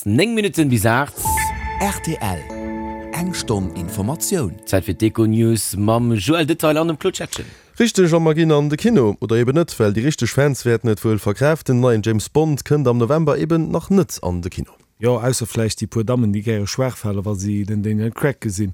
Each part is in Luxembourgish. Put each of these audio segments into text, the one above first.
9 Minutten bis 8. Rtl, Eng Stonn Informatioun. Zäit fir d'Econews mam Joël Detail an dem Claude Schettgen. Richteg, a mer ginn an de Kino. Oder eben net, well déi richteg Fans wäerten et wuel verkraaften, den neien James Bond kënnt am November eben nach net an de Kino. Jo, ausser vläicht déi puer Dammen, déi gäre schwaach fale wa si den Daniel Craig gesinn.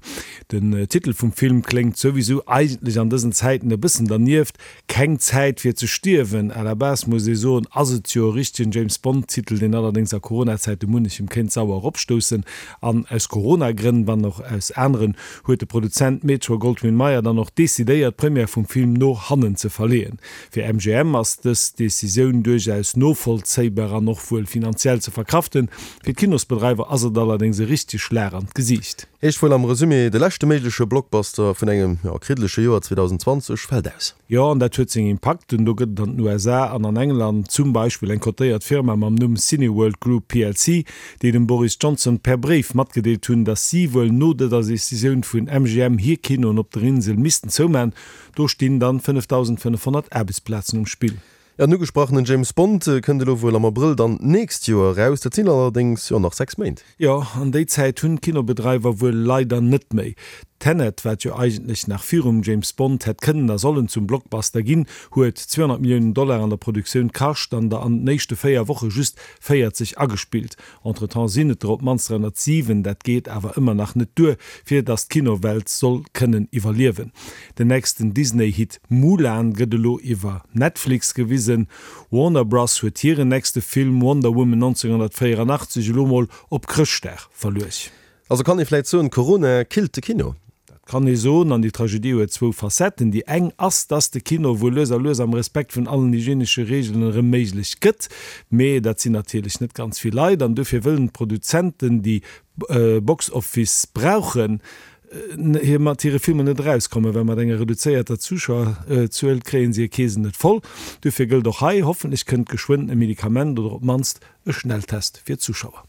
Den Titel vum Film kléngt souwisou eigentlech an dësen Zäiten e bëssen dernieft, Keng Zäit fir ze stierwen. À la base muss ee soen, ass et jo e richtegen James Bond Titel, deen allerdéngs a Corona-Zäite munnechem kéint sauer eropstoussen. An aus Corona-Grënn, wann och aus aneren, huet de Produzent Metro-Goldwyn-Mayer dann och decidéiert, d'Première vum Film no hannen ze verleeën. Fir MGM ass dës Decisioun duerchaus novollzéibar an och wuel finanziell ze verkraften. Fir d'Kinosbedreiwer ass et allerdéngs e richtege Schlag an d'Gesiicht. Heescht wuel am Resumé, de leschte méigleche Blockbuster vun engem, jo, kriddeleche Joer 2020 fält aus. Jo, an dat huet seng Impakten. Do gëtt et an den USA an an England zum Beispill eng kotéiert Firma mam Numm Cineworld Group plc, déi dem Boris Johnson per Bréif matgedeelt hunn, datt si wuel no dëser Decisioun vun MGM hir Kinoen op der Insel missten zouman. Do stinn dann 5.500 Aarbechtsplazen um Spill. Jo, den ugesprachenen James Bond kënnt elo wuel am Abrëll dann d'nächst Joer eraus. Dat sinn allerdéngs jo nach 6 Méint. Jo, an déi Zäit hunn d'Kinobedreiwer wuel leider net méi. Tenet, wat jo eigentlech nach virum James Bond hätt kënnen a sollen zum Blockbuster ginn, huet 200 Milliounen Dollar an der Produktioun kascht an der an den éischte 4 Woche just 40 agespillt. Entretemps sinn et der op d'mannst 307, dat geet awer ëmmer nach net duer, fir datt d'Kinowelt soll kënnen iwwerliewen. Den nächsten Disney-Hit Mulan gëtt elo iwwer Netflix gewisen. Warner Bros. Huet hiren nächste Film Wonder Woman 1984 elo mol op Chrëschtdag verluecht. Also kann ee vläit soen, Corona killt de Kino? Dat kann ee soen, an déi Tragedie huet zwou Facetten. Déi eng ass, dass de Kino wuel lues a lues am Respekt vun allen hygienesche Reegelen erëm méiglech gëtt. Mee dat sinn natierlech net ganz vill Leit an dofir wëllen d'Produzenten, déi Box Office brauchen, hir mat hire Filmer net erauskommen, well mat enger reduzéierter Zuschauerzuel kréie se hir Keesen net voll. Dofir gëllt och hei, hoffentlech kënnt geschwënn e Medikament oder op d'mannst e Schnelltest fir d'Zuschauer.